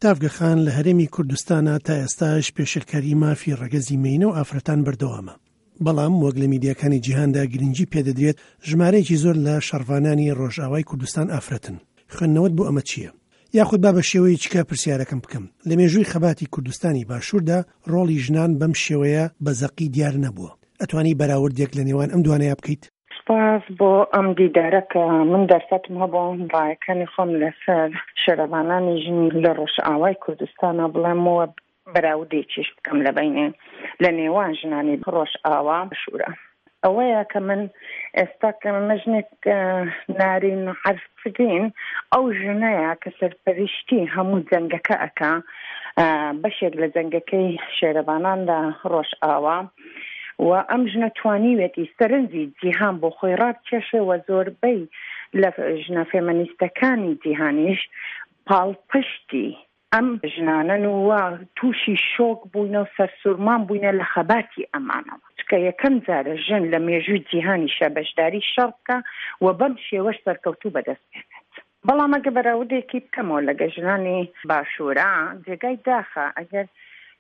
تاڤگە خان، لە هەرێمی کوردستانا تا ئێستاش پێشێلکاری مافی ڕەگەزی مێینە و ئافرەتان بەردەوامە. بەڵام وەک لە میدیاکانی جیهاندا گرنگی پێدەدرێت، ژمارەیەکی زۆر لە شەڕڤانانی ڕۆژئاوای کوردستان ئافرەتن. خوێندنەوەت بۆ ئەمە چییە؟ یاخود با بە شێوەیەکی کە پرسیارەکەم بکەم، لە مێژووی خەباتی کوردستانی باشووردا ڕۆڵی ژنان بەم شێوەیە بە زەقی دیار نەبووە. ئەتوانی بەراوردێک لە نێوان ئەم دوانەیا بکەیت؟ سوپاس بۆ ئەم دیدارە کە من دەرفەتم هەبوو ڕایەکانی خۆم لەسەر شەرەڤانانی ژن لە ڕۆژئاوای کوردستانا بڵێم و بەراوردێکیش بکەم لە بەینێ لە نێوان ژنانی ڕۆژئاوا باشوورە. ئەوەیە کە من ئێستا کە مژنێک نارین عەرفین ئەو ژنەیە کە سەرپەرشتی هەموو جەنگەکە ئەکا بەشێک لە جەنگەکەی شێرەبانان لە ڕۆژئاوا و ئەم ژنە توانیوێتی سەرنجی جیهان بۆ خۆی ڕابکێشێ و زۆربەی لە ژنە فێمەنیستەکانی جیهانیش پاڵپشتی ئەم ژنانەن و تووشی شۆک بووینە و سەرسورمان بووینە لە خەباتی ئەمانەوە، چونکە یەکەم جارە ژن لە مێژووی جیهانیشا بەشداری شەڕ بکا و بەم شێوەش سەرکەوتوو بەدەست بێنێت. بەڵام ئەگەر بەراوردێکی بکەمەوە لەگە ژنانی باشوورا، جێگای داخە ئەگەر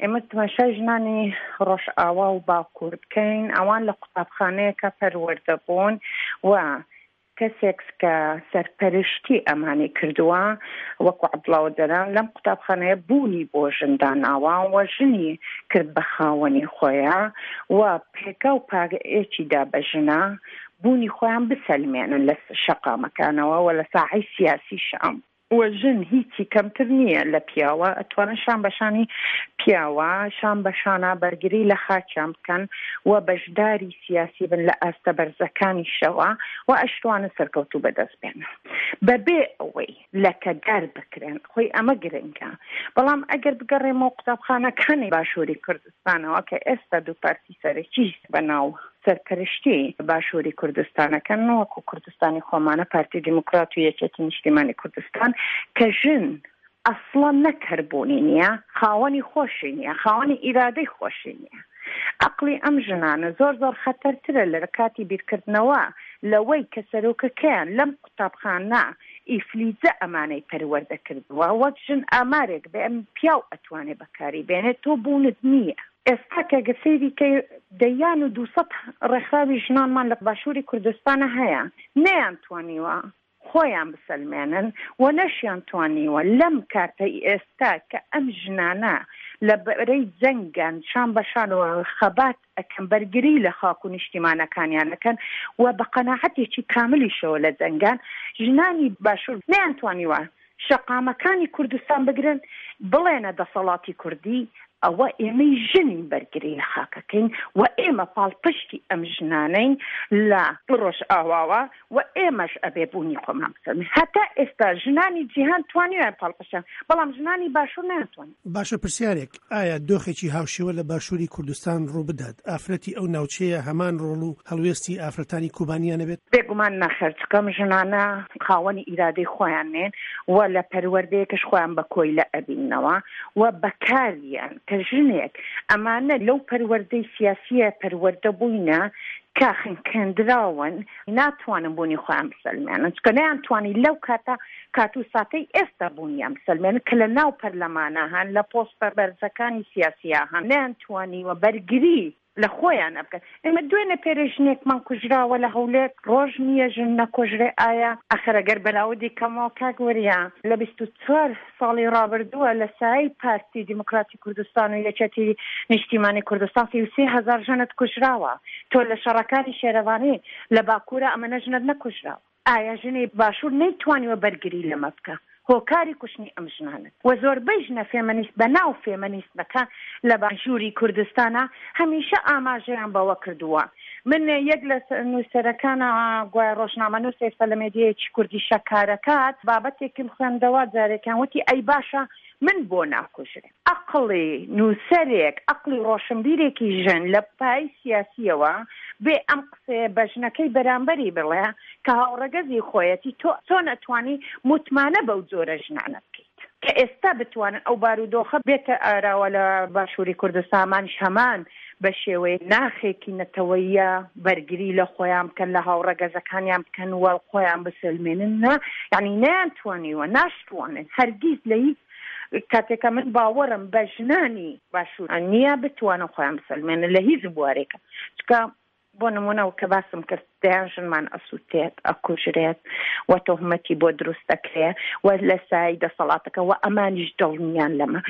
ئێمە تماشای ژنانی ڕۆژئاوا و باکوور بکەین، ئەوان لە قوتابخانەیەکا پەروەردە بوون و کەسێک کە سەرپەرشتی ئەمانی کردووە وەکو عەبدوڵا ئۆجەلان لەم قوتابخانەیە بوونی بۆ ژن داناوە و ژنی کرد بە خاوەنی خۆیا و پێگا و پایەکی دا بە ژنا بوونی خۆیان بسەلمێنن لە شەقامەکانەوە و لە ساحەی سیاسیشا. وە ژن هیچی کەمتر نییە لە پیاوە ئەتوانن شان بە شانی پیاوە شان بە شانا بەرگری لە خاکیان بکەن و بەشداری سیاسی بن لە ئاستە بەرزەکانیشەوە و ئەشتوانن سەرکەوتوو بەدەست بێنن بەبێ ئەوەی لەکەدار بکرێن خۆی ئەمە گرنگە بەڵام ئەگەر بگەڕێمەوە قوتابخانەکانی باشووری کوردستانەوە کە ئێستا دوو پارتی سەرەکی بە ناو سەرپەرشتی باشووری کوردستانەکەن وەکو کوردستانی خۆمانە پارتی دیموکرات و یەکێتی نیشتیمانی کوردستان کە ژن ئەسڵەن نەک هەر بوونی نییە خاوەنی خۆشی نییە خاوەنی ئیرادەی خۆشی نییە ئەقڵی ئەم ژنانە زۆر زۆر خەتەرترە لە کاتی بیرکردنەوە لەوەی کە سەرۆکەکەیان لەم قوتابخانە ئیفلیجە ئەمانەی پەروەردە کردووە وەک ژن ئامارێک بێ پیاو ئەتوانێ بەکاری بێنێت تۆ بوونت نییە. ئێستا کە گەر سەیری کەی دەیان و دووسەد ڕێکخراوی ژنانمان لە باشووری کوردستانا هەیە نەیانتوانیوە خۆیان بسەلمێنن و نەشیانتوانیوە لەم کاتەی ئێستا کە ئەم ژنانە لە بەرەی جەنگان شان بە شان و خەبات ئەکەن بەرگری لە خاک و نیشتیمانەکانیان ئەکەن و بە قەناعەتێکی کاملیشەوە لە جەنگان ژنانی باشوور نەیانتوانیوە شەقامەکانی کوردستان بگرن بڵێنە دەسەڵاتی کوردی ئەوە ئێمەی ژنین بەرگری لە خاکەکەین و ئێمە پاڵپشتی ئەم ژنانەین لە ڕۆژئاواوە و ئێمەش ئەبێ بوونی خۆمان بسەلمێنین هەتا ئێستا ژنانی جیهان توانیویان پاڵپشتیان بەڵام ژنانی باشوور نەیانتوانی. باشە پرسیارێک، ئایا دۆخێکی هاوشێوە لە باشووری کوردستان ڕووبدات، ئافرەتی ئەو ناوچەیە هەمان ڕۆڵ و هەڵوێستی ئافرەتانی کوبانیان ئەبێت؟ بێگومان نەخێر، چونکە ئەم ژنانە خاوەنی ئیرادەی خۆیان نین و لە پەروەردەیەکش خۆیان بە کۆیلە ئەبیننەوە و بەکاریان کە ژنێک ئەمانە لەو پەروەردەی سیاسیە پەروەردە بووینە کە خنکێندراون ناتوانن بوونی خۆیان بسەلمێنن چونکە نەیانتوانی لەو کاتە کات و ساتەی ئێستا بوونیان بسەلمێنن کە لە ناو پەرلەمانا هەن لە پۆستە بەرزەکانی سیاسیا هەن نەیانتوانیوە بەرگری لە خۆیان بکەن ئێمە دوێنێ پێرێ ژنێکمان کوژراوە لە هەولێر ڕۆژ نییە ژن نەکۆژرێ ئایا ئەخر ئەگەر بەراوردی کەمەوە کاک وریا لە 24 ساڵی ڕابردووە لە سایەی پارتی دیموکراتی کوردستان و یەکێتی نیشتیمانی کوردستان 33 هەزار ژنت کوژراوە تۆ لە شەڕەکانی شێرەڤانی لە باکوورە ئەمەنە ژنت نەکوژراوە. ئایا ژنی باشوور نەیتوانیوە بەرگری لەمە بکا؟ هۆکاری کوشتنی ئەم ژنانەن و زۆربەی ژنە فێمەنیست بەناو فێمەنیستەکان لە باشووری کوردستانا هەمیشە ئاماژەیان بەوە کردووە. من یەک لە نووسەرەکانە گوایە ڕۆژنامەنووسە ئێستا لە مێدیایەکی کوردیشە کارەکات بابەتێکم خوێندەوە جارێکیان وتی ئەی باشە من بۆ ناکوژرێم؟ ئەقڵی نووسەرێک، ئەقڵی ڕۆشنبیرێکی ژن لە پای سیاسییەوە بێ ئەم قسەیە بە ژنەکەی بەرامبەری بڵێ کە هاوڕەگەزی خۆیەتی، تۆ چۆن ئەتوانی متمانە بەو جۆرە ژنانە بکەیت کە ئێستا بتوانن ئەو بارودۆخە بێتە ئاراوە لە باشووری کوردستان، ئەمانیش هەمان بە شێوەی ناخێکی نەتەوەییە بەرگری لە خۆیان بکەن، لە هاوڕەگەزەکانیان بکەن و خۆیان بسەلمێنن، نا یانی نەیانتوانیوە، ناشتوانن هەرگیز لە هیچ. کاتێکە من باوەڕم بە ژنانی باشوور نییە بتوانن خۆیان بسەلمێنن لە هیچ بوارێکە چکە بۆ نموونە کە باسم کرد دەیان ژنمان ئەسووتێت، ئەکوژرێت و تۆهمەتی بۆ دروست ئەکرێ و لە سایەی دەسەڵاتەکە و ئەمانیش دڵنیان لەمە.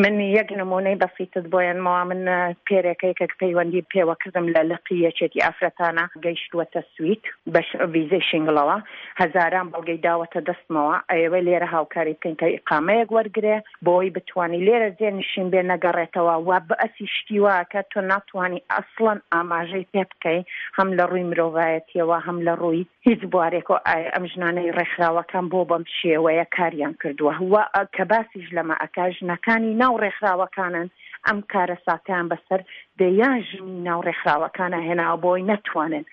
من یەک نموونەی بەسیتت بۆ یەنمەوە، من پێرێکە یەکێک پەیوەندی پێوە کردم لە لقی یەکێتی ئافرەتانە گەیشتووەتە سوید بە ڤیزەی شینگڵەوە، هەزاران بەڵگەی داوەتە دەستمەوە، ئەیەوێ لێرە هاوکاری بکەین کە ئیقامەیەک وەرگرێ، بۆی بتوانی لێرە جێ نشین بێ نەگەڕێتەوە و بەسی شتی وا کە تۆ ناتوانی ئەسڵەن ئاماژەی پێ بکەی هەم لە ڕووی مرۆڤایەتیەوە هەم لە ڕووی هیچ بوارێکەوە ئایا ئەم ژنانەی ڕێکخراوەکان بۆ بەم شێوەیە کاریان کردووە و کە باسیش لەمە ئەکا ژنەکانی ناو ڕێکخراوەکانن ئەم کارەساتەیان بەسەر دەیان ژنی ناو ڕێکخراوەکانە هێناوە بۆی نەتوانن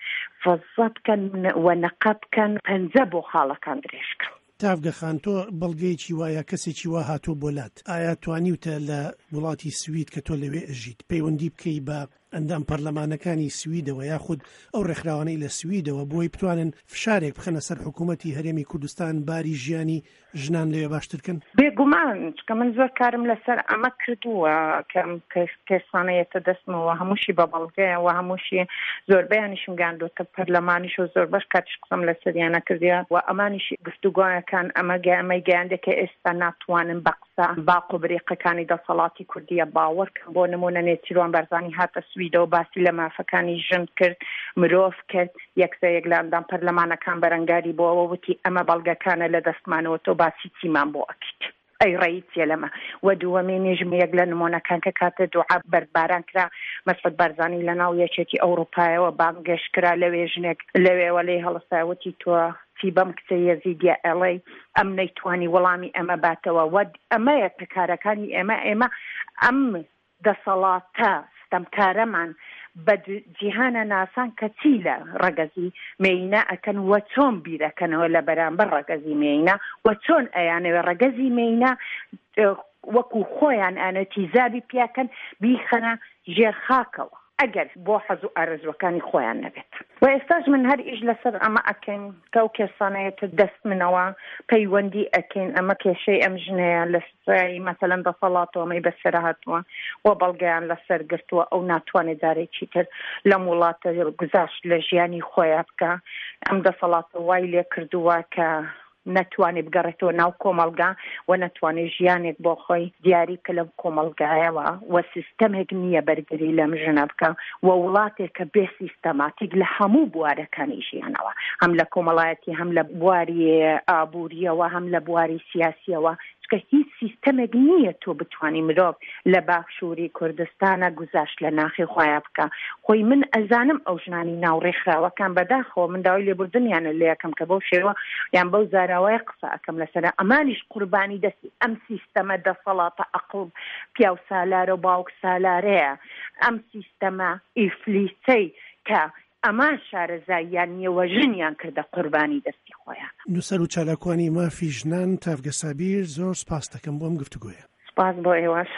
فەزە بکەن و نەقە بکەن پەنجە بۆ خاڵەکان درێژ کەن. تاڤگە خان تۆ بەڵگەیەکی وا یا کەسێکی وا هاتووە بۆ لات ئایا توانیوتە لە وڵاتی سوید کە تۆ لەوێ ئەژیت پەیوەندی بکەی بە ئەندام پەرلەمانەکانی سویدەوە یاخود ئەو ڕێکخراوانەی لە سویدەوە بۆی بتوانن فشارێک بخەنە سەر حکوومەتی هەرێمی کوردستان باری ژیانی ژنان لەوێ باشتر کەن؟ بێگومان چونکە من زۆر کارم لەسەر ئەمە کردووە کە ئەم کەسانە یەتە دەستمەوە هەمووشی بە بەڵگەیە و هەمووشی زۆربەیانیشم گەیاندۆتە پەرلەمانیش و زۆربەش کاتیش قسەم لەسەریانە کردیە و ئەمانیش گفتوگۆیەکان ئەمە ئەمەی گەیاندە کە ئێستا ناتوانن بە قسە باق و بریقەکانی دەسەڵاتی کوردیە باوەڕ کەن بۆ نمونە نێچیروان بارزانی هاتە سویدەوە باسی لە مافەکانی ژن کرد مرۆڤ کرد یەکسەر یەک لە ئەندام پەرلەمانەکان بەرەنگاری بۆەوە وتی ئەمە بەڵگەکانە لە دەستمانەوە تۆ باسی چیمان بۆ ئەکەیت. ئەی ڕەئی چیە لەمە؟ وە دووەمینیش یەک لە نمۆنەکان کە کاتێ دوعا بەردباران کرا مەسعود بارزانی لە ناو یەکێتی ئەوڕوپایەوە بانگێشت کرا لەوێ ژنێک لەوێوە لێی هەڵسایە وتی تۆ چی بەم کچە یەزیدیە ئەڵێی ئەم نەیتوانی وەڵامی ئەمە باتەوە وە ئەمەیە کە کارەکانی ئێمە ئێمە ئەم دەسەڵاتە ستەمکارەمان بە جیهانە ناسان کە چی لە ڕەگەزی مێینە ئەکەن و چۆن بیرەکەنەوە لە بەرامبەر ڕەگەزی مێینە و چۆن ئەیانەوێ ڕەگەزی مێینە وەکو خۆیان ئەیانەوێ تیزابی پیاکەن بیخەنە ژێر خاکەوە ئەگەر بۆ حەز و ئارەزوەکانی خۆیان نەبێت. و ئێستاش من هەر ئیش لەسەر ئەمە ئەکەین کە ئەو کێسانە یەتە دەست منەوە پەیوەندی ئەکەین ئەمە کێشەی ئەم ژنەیە لە سایەی مەسەلەن دەسەڵاتەوە ئەمەی بەسەر هاتووە و بەڵگەیان لەسەر گرتووە ئەو ناتوانێت جارێکی تر لەم وڵاتە گوزارشت لە ژیانی خۆیا بکا ئەم دەسەڵاتە وای لێ کردووە کە نەتوانێ بگەڕێتەوە ناو کۆمەڵگا و نەتوانێ ژیانێک بۆ خۆی دیاری بکە لەم کۆمەڵگایەوە و سیستەمێک نییە بەرگری لەم ژنە بکە و وڵاتێکە بێ سیستەماتیک لە هەموو بوارەکانی ژیانەوە هەم لە کۆمەڵایەتی هەم لە بواری ئابووریەوە هەم لە بواری سیاسیەوە چونکە هیچ سیستەمێک نییە تۆ بتوانی مرۆڤ لە باشووری کوردستانە گوزاشت لە ناخی خۆیا بکا خۆی من ئەزانم ئەو ژنانی ناو ڕێکخراوەکان بەداخەوە من داوای لێبوردنیانە لێ ئەکەم کە بەو شێوە یان بەو زاراوەیە قسە ئەکەم لەسەر ئەمانیش قوربانی دەستی ئەم سیستەمە دەسەڵاتە ئەقڵ پیاو سالارە و باوک سالارەیە ئەم سیستەمە ئیفلیسەی کە ئەمان شارەزاییان نیە و ژنیان کردە قوربانی دەستی خۆیان. نووسەر و چالاکوانی مافی ژنان تاڤگە سابیر زۆر سوپاست دەکەم بۆ ئەم گفتوگۆیە. سوپاس بۆ ئێوەش.